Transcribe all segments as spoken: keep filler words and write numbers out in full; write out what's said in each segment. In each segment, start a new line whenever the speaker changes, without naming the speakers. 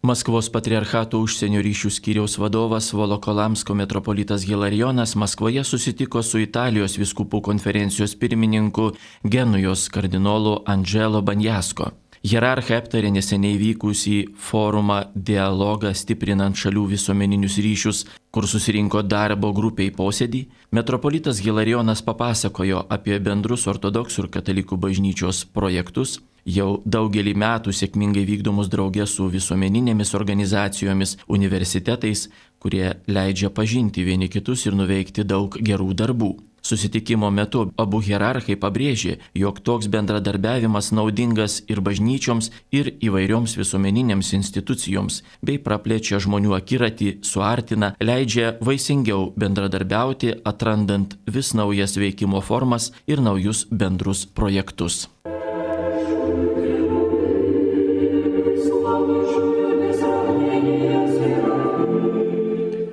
Maskvos patriarchato užsienio ryšių skyriaus vadovas Volokolamsko metropolitas Hilarijonas Maskvoje susitiko su Italijos vyskupų konferencijos pirmininku Genujos kardinolu Andželo Banjasko. Hierarchai aptarė neseniai vykusį forumą dialogą stiprinant šalių visuomeninius ryšius, kur susirinko darbo grupiai posėdį. Metropolitas Hilarijonas papasakojo apie bendrus ortodoksų ir katalikų bažnyčios projektus, jau daugelį metų sėkmingai vykdomus drauge su visuomeninėmis organizacijomis, universitetais, kurie leidžia pažinti vieni kitus ir nuveikti daug gerų darbų. Susitikimo metu abu hierarchai pabrėžė, jog toks bendradarbiavimas naudingas ir bažnyčioms, ir įvairioms visuomeninėms institucijoms, bei praplečia žmonių akiratį, suartina, leidžia vaisingiau bendradarbiauti, atrandant vis naujas veikimo formas ir naujus bendrus projektus.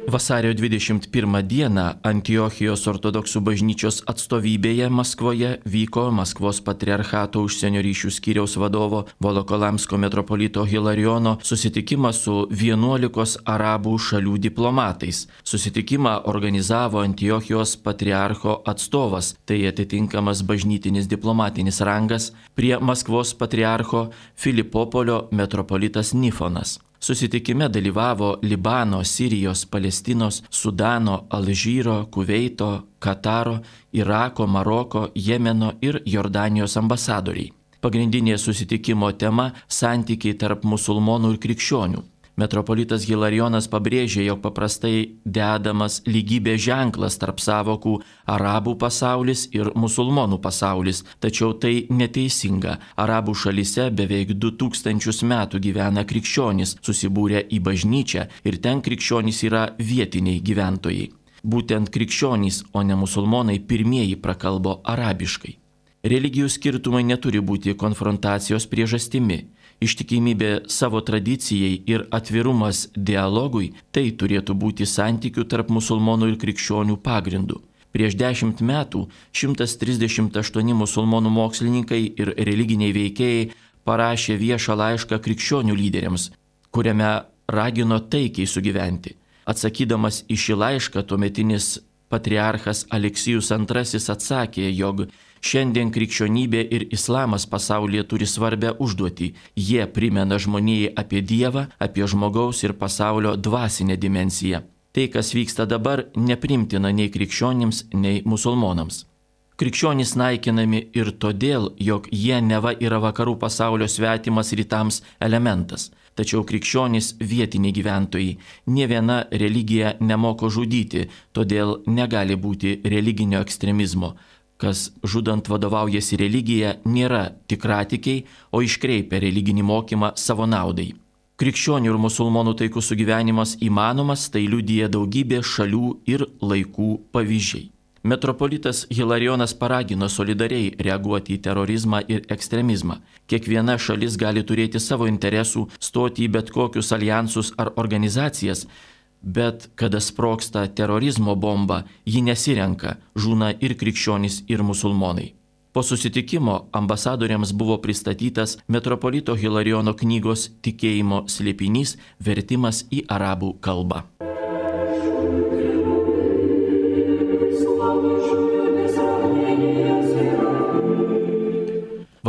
Vasario dvidešimt pirmą dieną Antiochijos ortodoksų bažnyčios atstovybėje Maskvoje vyko Maskvos patriarchato užsienio ryšių skyriaus vadovo Volokolamsko metropolito Hilarijono susitikimas su vienuolikos arabų šalių diplomatais. Susitikimą organizavo Antiochijos patriarcho atstovas, tai atitinkamas bažnytinis diplomatinis rangas, prie Maskvos patriarcho Filipopolio metropolitas Nifonas. Susitikime dalyvavo Libano, Sirijos, Palestinos, Sudano, Alžyro, Kuveito, Kataro, Irako, Maroko, Jemeno ir Jordanijos ambasadoriai. Pagrindinė susitikimo tema – santykiai tarp musulmonų ir krikščionių. Metropolitas Hilarijonas pabrėžė, jog paprastai dedamas lygybės ženklas tarp savokų arabų pasaulis ir musulmonų pasaulis, tačiau tai neteisinga. Arabų šalyse beveik du tūkstančius metų gyvena krikščionys, susibūrę į bažnyčią ir ten krikščionys yra vietiniai gyventojai. Būtent krikščionys, o ne musulmonai pirmieji prakalbo arabiškai. Religijų skirtumai neturi būti konfrontacijos priežastimi. Ištikimybė savo tradicijai ir atvirumas dialogui – tai turėtų būti santykių tarp musulmonų ir krikščionių pagrindų. Prieš dešimt metų šimtas trisdešimt aštuoni musulmonų mokslininkai ir religiniai veikėjai parašė viešą laišką krikščionių lyderiams, kuriame ragino taikiai sugyventi. Atsakydamas į šį laišką, tuometinis patriarchas Aleksijus antrasis atsakė, jog šiandien krikščionybė ir islamas pasaulyje turi svarbę užduotį. Jie primena žmonijai apie Dievą, apie žmogaus ir pasaulio dvasinę dimensiją. Tai, kas vyksta dabar, neprimtina nei krikščionims, nei musulmonams. Krikščionys naikinami ir todėl, jog jie neva yra vakarų pasaulio svetimas rytams elementas. Tačiau krikščionys vietiniai gyventojai. Nė viena religija nemoko žudyti, todėl negali būti religinio ekstremizmo. Kas žudant vadovaujasi religija, nėra tikratikiai, o iškreipia religinį mokymą savo naudai. Krikščionių ir musulmonų taikus sugyvenimas įmanomas, tai liudija daugybė šalių ir laikų pavyzdžiai. Metropolitas Hilarijonas paragino solidariai reaguoti į terorizmą ir ekstremizmą. Kiekviena šalis gali turėti savo interesų, stoti į bet kokius alijansus ar organizacijas, bet kada sprogsta terorizmo bomba, ji nesirenka, žūna ir krikščionys, ir musulmonai. Po susitikimo ambasadoriams buvo pristatytas metropolito Hilarijono knygos Tikėjimo slėpinys vertimas į arabų kalbą.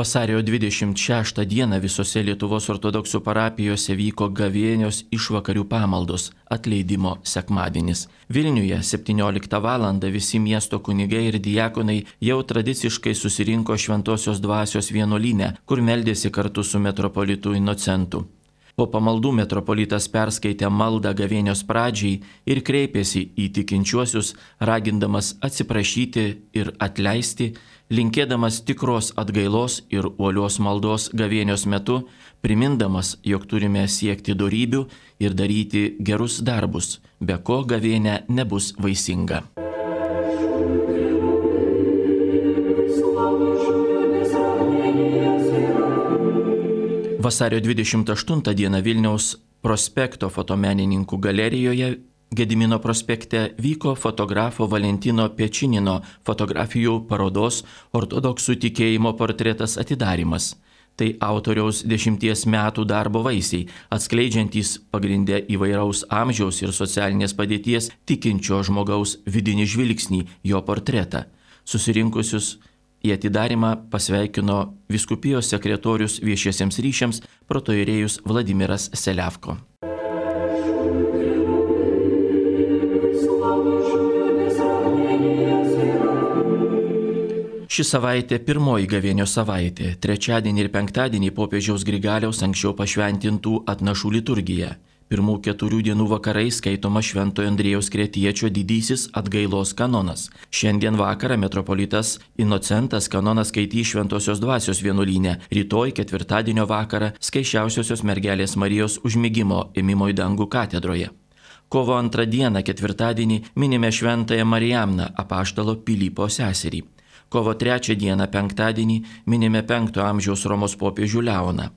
Vasario dvidešimt šeštą dieną visose Lietuvos ortodoksų parapijose vyko gavėnios išvakarių pamaldos atleidimo sekmadienis. Vilniuje septynioliktą valandą visi miesto kunigai ir diakonai jau tradiciškai susirinko Šventosios dvasios vienuolyne, kur meldėsi kartu su metropolitu Inocentu. Po pamaldų metropolitas perskaitė maldą gavėnios pradžiai ir kreipėsi į tikinčiuosius, ragindamas atsiprašyti ir atleisti, linkėdamas tikros atgailos ir uolios maldos gavėnios metu, primindamas, jog turime siekti dorybių ir daryti gerus darbus, be ko gavėnė nebus vaisinga. Vasario dvidešimt aštuntą dieną Vilniaus prospekto fotomenininkų galerijoje Gedimino prospekte vyko fotografo Valentino Pečinino fotografijų parodos Ortodoksų tikėjimo portretas atidarymas. Tai autoriaus dešimties metų darbo vaisiai, atskleidžiantys pagrindę įvairaus amžiaus ir socialinės padėties tikinčio žmogaus vidinį žvilgsnį, jo portretą. Susirinkusius į atidarymą pasveikino vyskupijos sekretorius viešiesiems ryšiams protoierėjus Vladimiras Seliavko. Ši savaitė pirmoji gavėnio savaitė, trečiadienį ir penktadienį popiežiaus Grigaliaus anksčiau pašventintų atnašų liturgija. Pirmų keturių dienų vakarai skaitoma Šventojo Andriejaus Kretiečio didysis atgailos kanonas. Šiandien vakarą metropolitas Inocentas kanoną skaitys Šventosios dvasios vienuolyne, rytoj ketvirtadienio vakarą Skaisčiausiosios mergelės Marijos užmigimo ėmimo į dangų katedroje. Kovo antrą dieną ketvirtadienį minime Šventąją Marijamną, apaštalo Pilypo seserį. Kovo trečią dieną penktadienį minime penkto amžiaus Romos popiežių Leoną.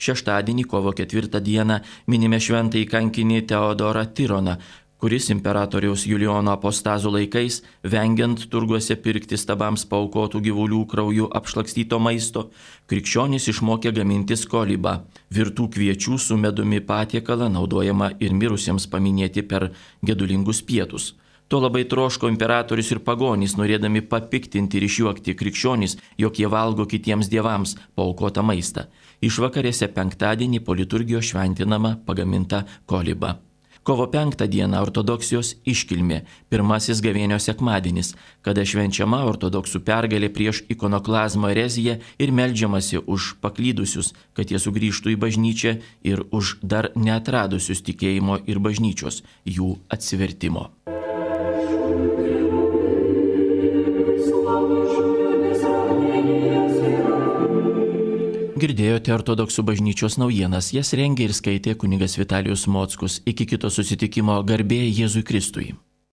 Šeštadienį, kovo ketvirtą dieną, minime šventąjį kankinį Teodorą Tironą, kuris imperatoriaus Julijono apostazų laikais, vengiant turguose pirkti stabams paaukotų gyvulių krauju apšlakstyto maisto, krikščionys išmokė gaminti skolybą, virtų kviečių su medumi patiekalą naudojama ir mirusiems paminėti per gedulingus pietus. To labai troško imperatorius ir pagonys, norėdami papiktinti ir išjuokti krikščionys, jog jie valgo kitiems dievams paaukotą maistą. Išvakarėse penktadienį po liturgijos šventinama pagaminta koliba. Kovo penktą dieną ortodoksijos iškilmė, pirmasis gavėnio sekmadienis, kada švenčiama ortodoksų pergalė prieš ikonoklazmo ereziją ir meldžiamasi už paklydusius, kad jie sugrįžtų į bažnyčią, ir už dar neatradusius tikėjimo ir bažnyčios, jų atsivertimo. Girdėjote ortodoksų bažnyčios naujienas, jas rengė ir skaitė kunigas Vitalijus Mockus. Iki kito susitikimo, garbė Jėzui Kristui.